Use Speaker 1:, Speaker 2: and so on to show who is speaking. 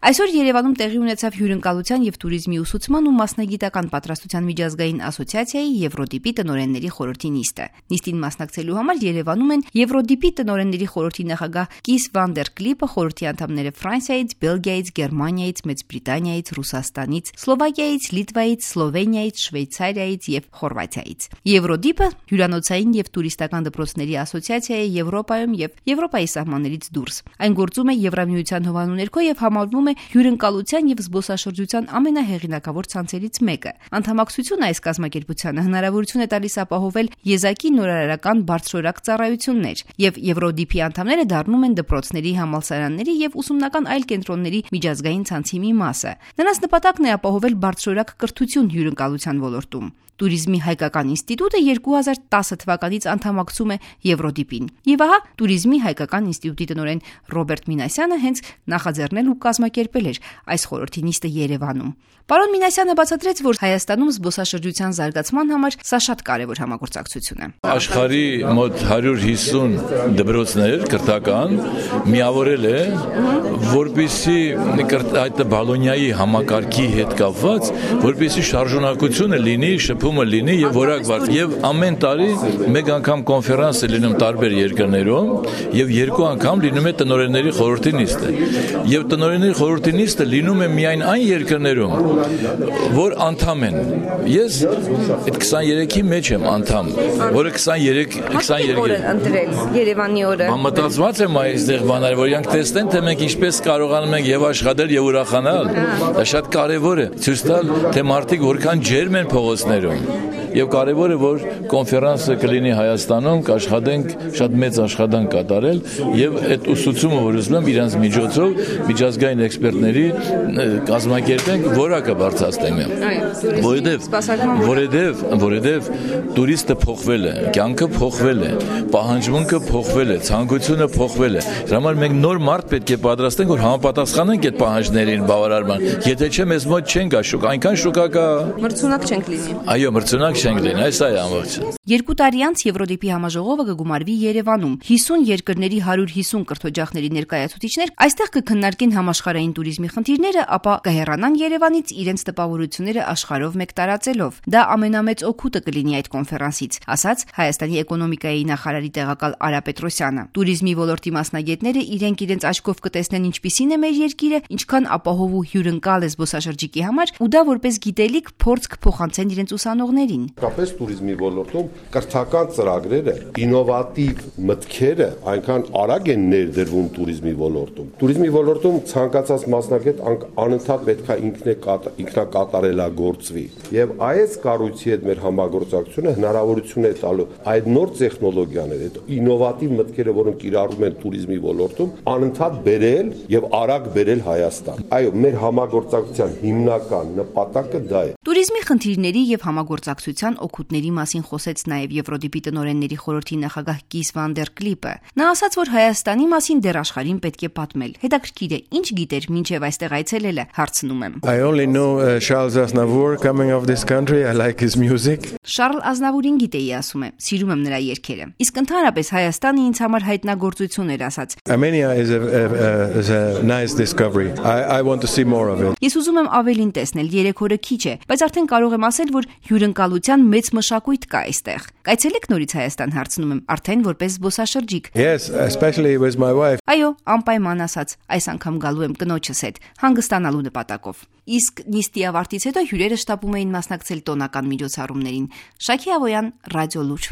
Speaker 1: Այսօր Երևանում տեղի ունեցավ հյուրընկալության եւ туриզմի ուսուցման ու մասնագիտական պատրաստության միջազգային ասոցիացիայի Եվրոդիպի տնօրենների խորհրդի նիստը։ Նիստին մասնակցելու համար Երևանում են Եվրոդիպի տնօրենների խորհրդի նախագահ Կիս վան դեր Կլիպը, խորհրդի անդամները Ֆրանսիայից, Բելգիայից, Գերմանիայից, Մեծ Բրիտանիայից, Ռուսաստանից, Սլովակիայից, Լիտվայից, Սլովենիայից, Շվեյցարիայից եւ Խորվաթիայից։ Եվրոդիպը հյուրանոցային եւ տուրիստական դպրոցների ասոցիացիա է Եվրոպայում եւ Եվրոպայի սահմաններից դուրս։ Այն գործում է Եվրամիության հովանու ներքո եւ համարվում է հյուրընկալության եւ զբոսաշրջության ամենահեղինակավոր ցանցերից մեկը։ Անդամակցությունը այս կազմակերպությանը հնարավորություն է տալիս ապահովել եզակի նորարարական բարձրորակ ծառայություններ եւ Եվրոդիպի անդամները դառնում են դպրոցների, համալսարանների եւ ուսումնական այլ կենտրոնների միջազգային ցանցի մի մասը։ Նրանց նպատակն է ապահովել բարձրորակ կրթություն հյուրընկալության ոլորտում։ Туриզմի հայկական ինստիտուտը 2010 թվականից անդամակցում է Եվրոդիպին։ Եվ ահա Туриզմի հայկական ինստիտուտի տնօրեն Ռոբերտ Մինասյանը հենց նախաձեռնել ու կազմակերպել էր այս խորհրդի նիստը Երևանում։ Պարոն Մինասյանը բացատրեց, որ Հայաստանում զբոսաշրջության զարգացման համար սա շատ կարևոր համագործակցություն է։
Speaker 2: Աշխարհի մոտ 150 դպրոցներ կրթական միավորել է, որպեսզի այդ Բոլոնիայի համակարգի հետ կապված, որպեսզի շարժունակությունը լինի, շփումը լինի եւ որակված։ Եվ ամեն տարի մեկ անգամ կոնֆերանս է լինում տարբեր երկրներում եւ երկու անգամ լինում է տնօրենների խորհրդի նիստը։ Եվ տնօրենների խորհրդի նիստը լինում է միայն այն երկրներում, որ անդամ են։ Ես այդ 23-ի մեջ եմ անդամ, որը 23
Speaker 1: օրը ընտրել Երևանի օրը։
Speaker 2: Մտածված եմ այստեղ բաներ, որ իրանք տեսնեն, թե մենք ինչպես կարողանում ենք եւ աշխատել եւ ուրախանալ։ Դա շատ կարեւոր է։ Ցույց տալ, թե մարդիկ որքան ջերմ են փողոցներում։ Եվ կարևոր է, որ կոնֆերանսը կլինի Հայաստանում, կաշխատենք շատ մեծ աշխատանք կատարել եւ այդ ուսուցումը, որ ուզում եմ իրանց միջոցով միջազգային էքսպերտների կազմակերպենք, որակը բարձրացնենք։ Որովհետեւ տուրիստը փոխվել է, կյանքը փոխվել է, պահանջմունքը փոխվել է, ցանկությունը փոխվել է։ Դրա համար մենք նոր մարդ պետք է պատրաստենք, որ համապատասխանենք այդ պահանջներին բավարարման։ Եթե չէ, մեզ մոտ չեն գա շուկա, այնքան շուկա կա։
Speaker 1: Մրցունակ չենք լինի։
Speaker 2: Այո, մրցունակ չենք լինի, այս է ամբողջը։
Speaker 1: 2 տարի անց Եվրոդիպի համաժողովը կգումարվի Երևանում։ 50 երկրների 150 կրթօջախների ներկայացուցիչներ այստեղ կքննարկեն համաշխարհային туриզմի խնդիրները, ապա կհեռանան Երևանից իրենց տպավորությունները աշխարհով մեկ տարածելով։ Դա ամենամեծ օգուտը կլինի այդ կոնֆերանսից, ասաց Հայաստանի էկոնոմիկայի նախարարի տեղակալ Արա Պետրոսյանը։ Туриզմի ոլորտի մասնագետները իրենց աչքով կտեսնեն ինչպիսին է մեր երկիրը, ինչքան ապահով ու հյուրընկալ է զբոսաշրջիկի համար, ու դա որպես գիտելիք փորձ կփոխանցեն իրենց ուսանողներին։
Speaker 3: Կապես туриզմի ոլորտում կրթական ծրագրերը, ինովատիվ մտքերը այնքան արագ են ներդրվում туриզմի ոլորտում։ Туриզմի ոլորտում ցանկացած մասնագետ անընդհատ պետք է ինքնակատարելագործվի։ Եվ այս կառույցի հետ մեր համագործակցությունը հնարավորություն է տալու այդ նոր տեխնոլոգիաները, այդ ինովատիվ մտքերը, որոնք կիրառվում են туриզմի ոլորտում, անընդհատ բերել եւ արագ բերել Հայաստան։ Այո, մեր համագործակցության հիմնական նպատակը դա է։
Speaker 1: Туриզմի խնդիրների եւ համագործակցության օգուտների մասին խոսեց նաեւ Եվրոդիպի տնօրենների խորհրդի նախագահ Կիս վան դեր Կլիպը։ Նա ասաց, որ Հայաստանի մասին դեռ աշխարհին պետք է պատմել։ Հետաքրքիր է, ինչ գիտեր մինչև այստեղ այցելել է, հարցնում եմ։
Speaker 4: I only know Charles Aznavour coming of this country. I like his music.
Speaker 1: Շարլ Ազնավուրին գիտեի, ասում է, սիրում եմ նրա երգերը։ Իսկ ընդհանրապես Հայաստանը ինձ համար հայտնագործություն էր, ասաց։
Speaker 4: Armenia is a nice discovery. I want to see more of it.
Speaker 1: Ես ուզում եմ ավելին տեսնել, 3 օրը քիչ է, բայց արդեն կարող եմ ասել, որ հյուրընկալության մեծ մշակույթ կա այստեղ։ Կայցելեք նորից Հայաստան, հարցնում եմ, արդեն որպես զբոսաշրջիկ։
Speaker 4: Yes, especially with my wife.
Speaker 1: Այո, անպայման, ասաց, այս անգամ գալու եմ կնոջս հետ, հանգստանալու նպատակով։ Իսկ նիստի ավարտից հետո հյուրերը շտապում էին մասնակցել տոնական միջոցառումներին։ Շակի Ավոյան, Ռադիո Լուր։